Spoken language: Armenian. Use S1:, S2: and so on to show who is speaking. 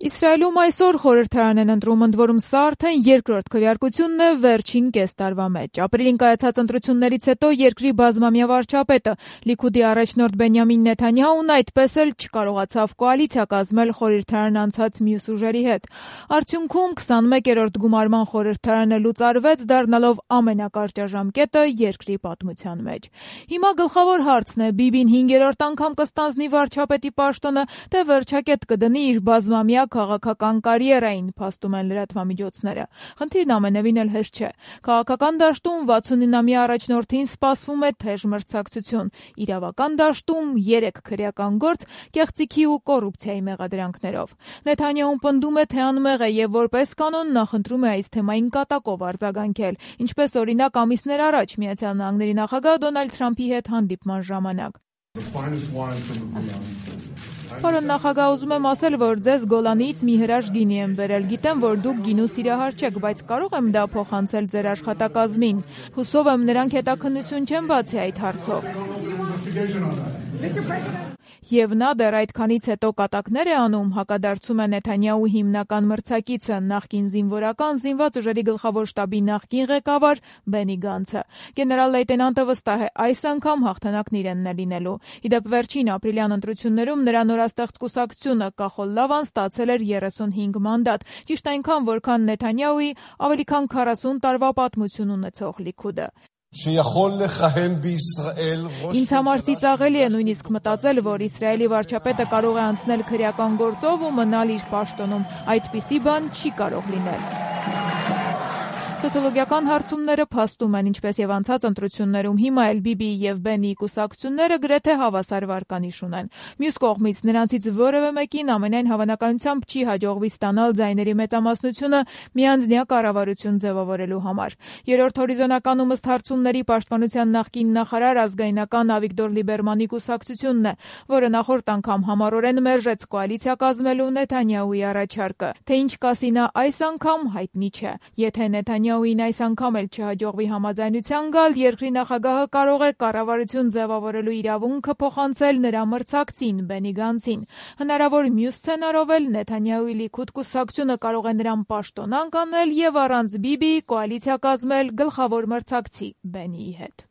S1: Իսրայելում այսօր խորհրդարան են ընտրում, ընդ որում սա արդեն երկրորդ քվեարկությունն է վերջին կես տարվա մեջ։ Ապրիլին կայացած ընտրություններից հետո երկրի բազմամյա վարչապետը Լիքուդի առաջնորդ Բենյամին Նեթանյահուն այդպես էլ չկարողացավ կոալիցիա կազմել խորհրդարան անցած մյուս ուժերի հետ։ Արդյունքում 21-րդ գումարման խորհրդարանը լուծարվեց, դառնալով ամենակարճաժամկետը երկրի պատմության մեջ։ Հիմա գլխավոր հարցն է՝ Բիբին 5-րդ անգամ կստանձնի վարչապետի պաշտոնը, թե վերջակետ կդնի իր բազմամյա քաղաքական կարիերային, փաստում են լրատվամիջոցները։ Խնդիրն ամենևին էլ հեշտ չէ։ Քաղաքական դաշտում 69-ամյա առաջնորդին սպասվում է թեժ մրցակցություն, իրավական դաշտում 3 քրեական գործ կեղծիքի ու կոռուպցիայի մեղադրանքներով։ Նեթանյահուն պնդում է, թե անմեղ է եւ որպես կանոն նախընտրում է այս թեմային կատակով արձագանքել, ինչպես օրինակ ամիսներ առաջ Միացյալ Նահանգների նախագահ Դոնալդ Թրամփի հետ հանդիպման ժամանակ։ Պարոն նախագահ, ուզում եմ ասել, որ ձեզ Գոլանիից մի հրաշք գինի եմ բերել։ Գիտեմ, որ դուք գինու սիրահար չեք, բայց կարող եմ դա փոխանցել ձեր աշխատակազմին։ Հուսով եմ, նրանք հետաքննություն չեն բացի այդ հարցով։ Եվ նա դեռ այդքանից հետո կատակներ է անում, հակադարձում է Նեթանյահու հիմնական մրցակիցը, նախկին զինվորական զինված ուժերի գլխավոր շտաբի նախկին ղեկավար Բենի Գանցը։ Գեներալ լեյտենանտը վստահ է, այս անգամ հաղթանակն իրենն է լինելու։ Իդեպ վերջին ապրիլյան ընտրություններում նրա նորաստեղծ կուսակցությունը Կախոլ Լավան ստացել էր 35 մանդատ, ճիշտ այնքան, որքան Նեթանյահուի ավելի քան 40 տարվա պատմություն ունեցող Լիքուդը։ Ինձ համար ծիծաղելի է նույնիսկ մտածել, որ Իսրայելի վարչապետը կարող է անցնել քրեական գործով ու մնալ իր պաշտոնում։ Այդպիսի բան չի կարող լինել։ Սոցիոլոգիական հարցումները փաստում են, ինչպես եւ անցած ընտրություններում, հիմա էլ Բիբիի եւ Բենիի կուսակցությունները գրեթե հավասար վարկանիշ ունեն։ Մյուս կողմից նրանցից որևէ մեկին ամենայն հավանականությամբ չի հաջողվի ստանալ ձայների մեծամասնությունը միանձնյա կառավարություն ձևավորելու համար։ Երրորդ հորիզոնականում ըստ հարցումների պաշտպանության նախկին նախարար ազգայնական Ավիգդոր Լիբերմանի կուսակցությունն է, որը նախորդ անգամ համառորեն մերժեց կոալիցիա կազմելու Նեթանյահուի առաջարկը։ Թե ինչ կասի նա այս անգամ հայտնի չէ։ Եթե Նեթանյահուին այս անգամ էլ չհաջողվի համաձայնության գալ, երկրի նախագահը կարող է կառավարություն ձևավորելու իրավունքը փոխանցել նրա մրցակցին Բենի Գանցին։ Հնարավոր մյուս սցենարով էլ Նեթանյահուի Լիքուդ կուսակցությունը կարող է նրան պաշտոնանկ անել եւ առանց Բիբիի կոալիցիա կազմել գլխավոր մրցակցի Բենիի հետ։